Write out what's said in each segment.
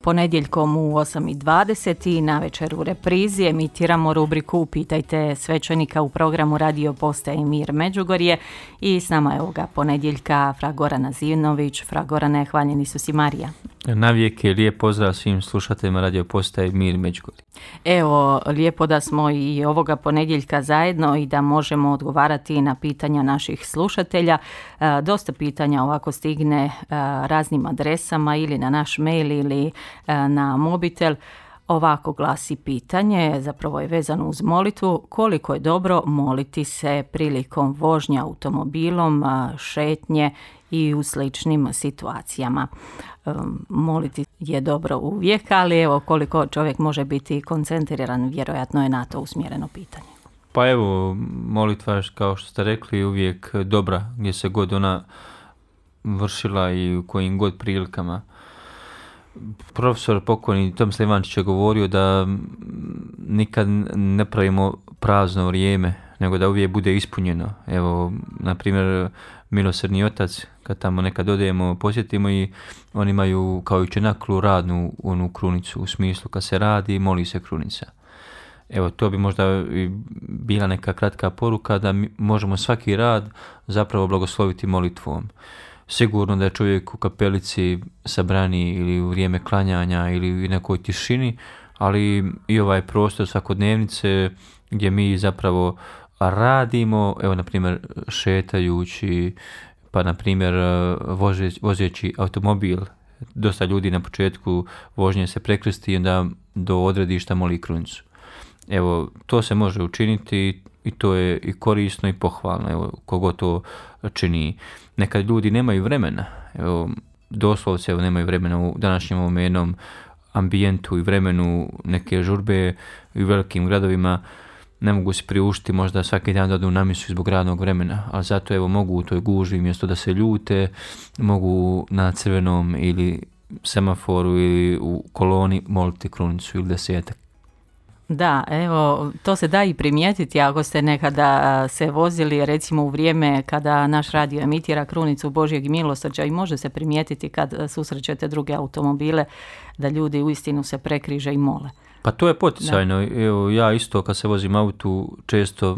Ponedjeljkom u 8:20 i navečer u reprizi emitiramo rubriku Pitajte svećenika u programu Radio Postaje Mir Međugorje i s nama je ovoga ponedjeljka fra Gorana Zinović. Fra Gorane, hvaljeni su si Marija. Navijek je lijep pozdrav svim slušateljima Radio Postaje Mir Međugorje. Evo, lijepo da smo i ovoga ponedjeljka zajedno i da možemo odgovarati na pitanja naših slušatelja. Dosta pitanja ovako stigne raznim adresama ili na naš mail ili na mobitel. Ovako glasi pitanje, zapravo je vezano uz molitvu, koliko je dobro moliti se prilikom vožnje automobilom, šetnje i u sličnim situacijama. Moliti je dobro uvijek, ali evo koliko čovjek može biti koncentriran, vjerojatno je na to usmjereno pitanje. Pa evo, molitva, kao što ste rekli, uvijek dobra, gdje se god ona vršila i u kojim god prilikama. Profesor pokojni Tomislav Ivančić je govorio da nikad ne pravimo prazno vrijeme, nego da uvijek bude ispunjeno. Evo, na primjer, Milosrdni otac, kad tamo nekad odemo, posjetimo i oni imaju kao i čenaklu radnu onu krunicu, u smislu kad se radi, moli se krunica. Evo, to bi možda bila neka kratka poruka da mi možemo svaki rad zapravo blagosloviti molitvom. Sigurno da je čovjek u kapelici sabrani ili u vrijeme klanjanja ili u nekoj tišini, ali i ovaj prostor svakodnevnice gdje mi zapravo radimo, evo na primjer šetajući, pa na primjer vozeći automobil. Dosta ljudi na početku vožnje se prekrsti i onda do odredišta moli krunicu. Evo, to se može učiniti i to je i korisno i pohvalno, evo, kogo to čini. Nekad ljudi nemaju vremena, evo, doslovce nemaju vremena u današnjem ovom jednom ambijentu i vremenu neke žurbe i u velikim gradovima, ne mogu se priuštiti možda svaki dan da odu na misu zbog radnog vremena, ali zato evo mogu u toj gužvi mjesto da se ljute, mogu na crvenom ili semaforu ili u koloni moliti krunicu ili desetak. Da, evo, to se da i primijetiti ako ste nekada se vozili recimo u vrijeme kada naš radio emitira krunicu Božjeg milosrđa i može se primijetiti kad susrećete druge automobile da ljudi uistinu se prekriže i mole. Pa to je poticajno. Evo, ja isto kad se vozim autu često,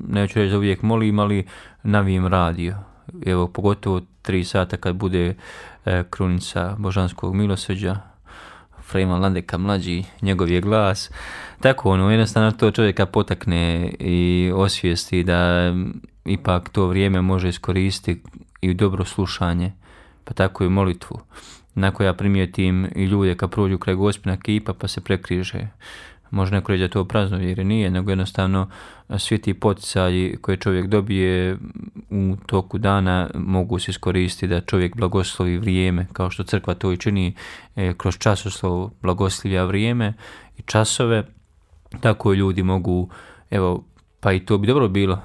neću reći da uvijek molim, ali navijem radio. Evo, pogotovo 3 sata kad bude krunica Božanskog milosrđa, Frejman Landeka mlađi, njegov je glas. Tako jednostavno to čovjeka potakne i osvijesti da ipak to vrijeme može iskoristiti i u dobro slušanje, pa tako i molitvu. Nakon ja primijetim i ljude kad prođu kraj Gospina kipa pa se prekriže. Može neko reći da to praznovjerje nije, nego jednostavno svi ti poticaji koje čovjek dobije u toku dana mogu se iskoristiti da čovjek blagoslovi vrijeme, kao što crkva to i čini kroz časoslov blagoslivlja vrijeme i časove. Tako ljudi mogu, evo, pa i to bi dobro bilo.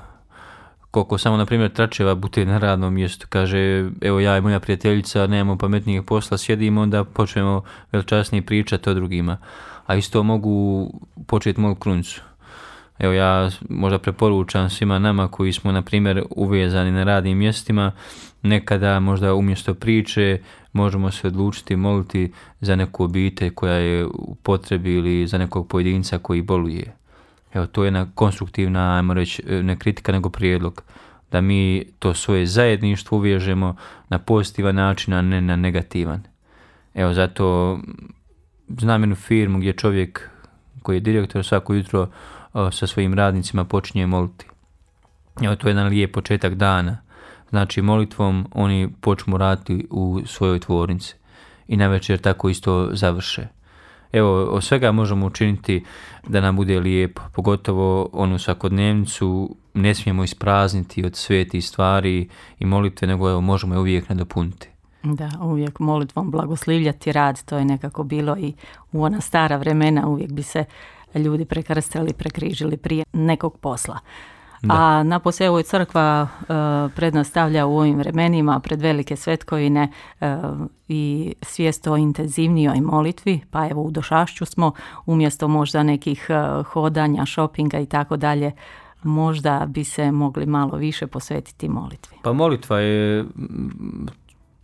Koliko samo, na primjer, tračeva bude na radnom mjestu, kaže, evo ja i moja prijateljica nemamo pametnijeg posla, sjedimo, onda počnemo veličasnije pričati o drugima. A isto mogu početi moju krunicu. Evo ja možda preporučam svima nama koji smo, na primjer, uvezani na radnim mjestima, nekada možda umjesto priče možemo se odlučiti moliti za neku obitelj koja je u potrebi ili za nekog pojedinca koji boluje. Evo, to je jedna konstruktivna, ajmo reći, ne kritika nego prijedlog, da mi to svoje zajedništvo uvežemo na pozitivan način, a ne na negativan. Evo, zato znam jednu firmu gdje čovjek koji je direktor svako jutro sa svojim radnicima počinje moliti. Evo, to je jedan lijep početak dana. Znači, molitvom oni počnu raditi u svojoj tvornici i navečer tako isto završe. Evo, od svega možemo učiniti da nam bude lijepo, pogotovo onu svakodnevnicu ne smijemo isprazniti od svetih stvari i molitve, nego evo, možemo je uvijek nadopuniti. Da, uvijek molitvom blagoslivljati rad, to je nekako bilo i u ona stara vremena, uvijek bi se ljudi prekrstili, prekrižili prije nekog posla. Da. A napose evo crkva prednastavlja u ovim vremenima pred velike svetkovine i svijest o intenzivnijoj molitvi, pa evo u Došašću smo umjesto možda nekih hodanja, šopinga i tako dalje, možda bi se mogli malo više posvetiti molitvi. Pa molitva je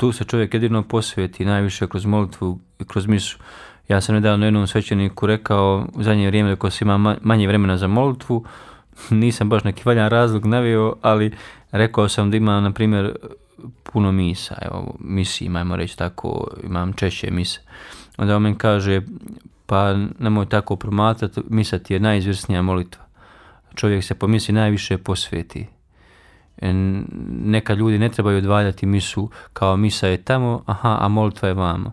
tu se čovjek jedino posveti najviše kroz molitvu i kroz misu. Ja sam nedavno jednom svećeniku rekao, u zadnje vrijeme ko se ima manje vremena za molitvu, nisam baš neki valjan razlog naveo, ali rekao sam da imam, na primjer, puno misa, evo, misijima, ajmo reći tako, imam češće mise. Onda on meni kaže, pa nemoj tako promatrati, misa ti je najizvrsnija molitva. Čovjek se po misi najviše posveti. Neka ljudi ne trebaju odvaljati misu kao misa je tamo, a molitva je vamo.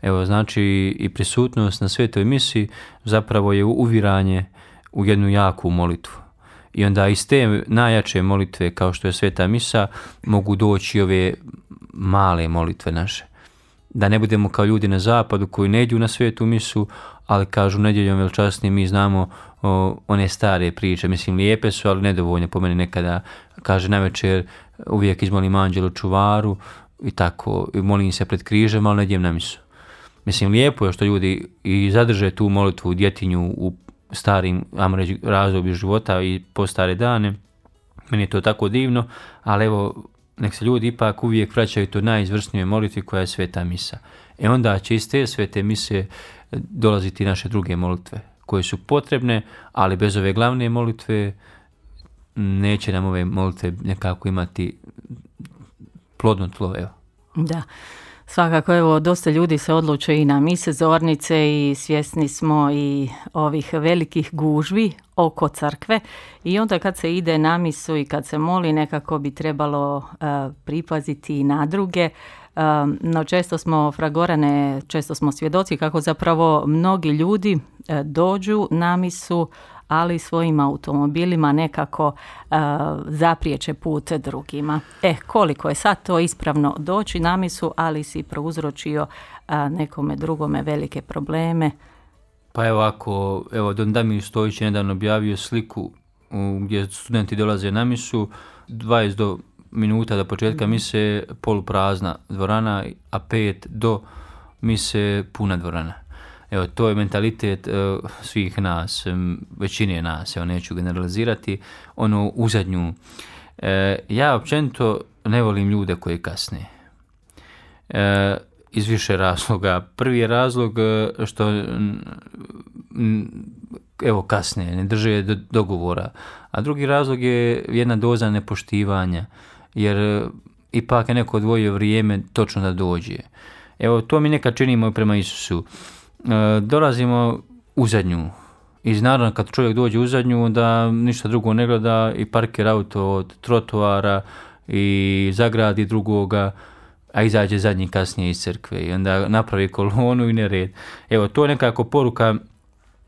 Evo, znači i prisutnost na svetoj misi zapravo je uviranje u jednu jaku molitvu. I onda iz te najjače molitve kao što je sveta misa mogu doći ove male molitve naše. Da ne budemo kao ljudi na zapadu koji ne idu na svetu misu, ali kažu nedjeljom veličasnim mi znamo one stare priče, mislim lijepe su, ali nedovoljne po meni nekada. Kaže navečer uvijek izmolim anđelu čuvaru i tako, i molim se pred križem, ali ne idem na misu. Mislim lijepo je što ljudi i zadrže tu molitvu u djetinju u starim razdoblju života i po stare dane. Meni je to tako divno, ali evo, nek se ljudi ipak uvijek vraćaju to najizvrsnije molitvi koja je sveta misa. Onda će iz te svete mise dolaziti naše druge molitve koje su potrebne, ali bez ove glavne molitve neće nam ove molitve nekako imati plodno tlo. Evo. Da. Svakako, evo, dosta ljudi se odluče i na mise zornice i svjesni smo i ovih velikih gužvi oko crkve i onda kad se ide na misu i kad se moli nekako bi trebalo pripaziti i na druge. No često smo, Fragorane, često smo svjedoci kako zapravo mnogi ljudi dođu na misu, ali svojim automobilima nekako zapriječe put drugima. Koliko je sad to ispravno doći na misu, ali si prouzročio nekome drugome velike probleme. Pa evo Don Damir Stojić je nedavno objavio sliku gdje studenti dolaze na misu, 20 minuta do početka mise poluprazna dvorana, a 5 do mise puna dvorana. Evo, to je mentalitet svih nas, većine nas, evo, neću generalizirati, uzadnju. Ja općenito ne volim ljude koji kasne. Iz više razloga. Prvi je razlog što kasne, ne drže dogovora. A drugi razlog je jedna doza nepoštivanja, jer ipak je neko odvojio vrijeme točno da dođe. Evo, to mi nekad činimo prema Isusu. Dolazimo u zadnju. I naravno kad čovjek dođe u zadnju, onda ništa drugo ne gleda i parkira auto od trotoara i zagradi drugoga, a izađe zadnji kasnije iz crkve i onda napravi kolonu i nered. Evo, to je nekako poruka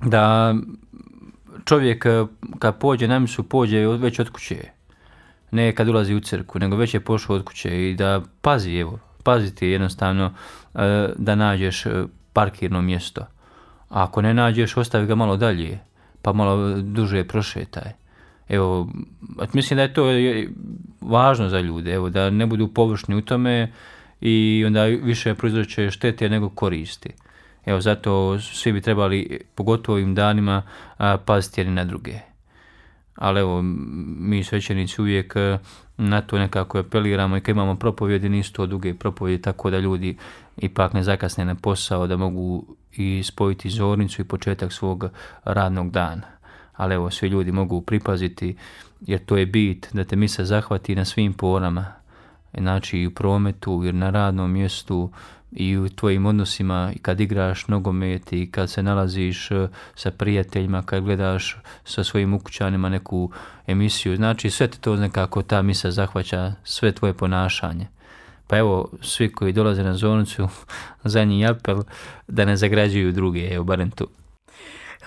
da čovjek kad pođe na misu, pođe već od kuće. Ne kad ulazi u crkvu, nego već je pošao od kuće i da paziti jednostavno da nađeš parkirno mjesto. A ako ne nađeš, ostavi ga malo dalje, pa malo duže prošetaj. Evo, mislim da je to važno za ljude, evo, da ne budu površni u tome i onda više proizroče štete nego koristi. Evo, zato svi bi trebali, pogotovo ovim danima, paziti jedni na druge. Ali evo, mi svećenici uvijek na to nekako apeliramo i kad imamo propovjedi, nisu to duge propovjedi, tako da ljudi ipak ne zakasne na posao, da mogu i spojiti zornicu i početak svog radnog dana. Ali evo, svi ljudi mogu pripaziti, jer to je bit da te misa zahvati na svim porama, znači i u prometu, i na radnom mjestu, i u tvojim odnosima, i kad igraš nogomet, i kad se nalaziš sa prijateljima, kad gledaš sa svojim ukućanima neku emisiju. Znači sve te to nekako ta misa zahvaća, sve tvoje ponašanje. Pa evo, svi koji dolaze na zornicu, zadnji apel da ne zagrađuju druge, evo barem tu.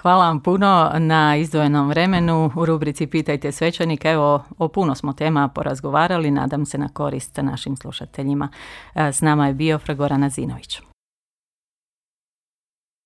Hvala vam puno na izdvojenom vremenu u rubrici Pitajte svećenika. Evo, o puno smo tema porazgovarali, nadam se na korist našim slušateljima. S nama je bio Fra Goran Azinović.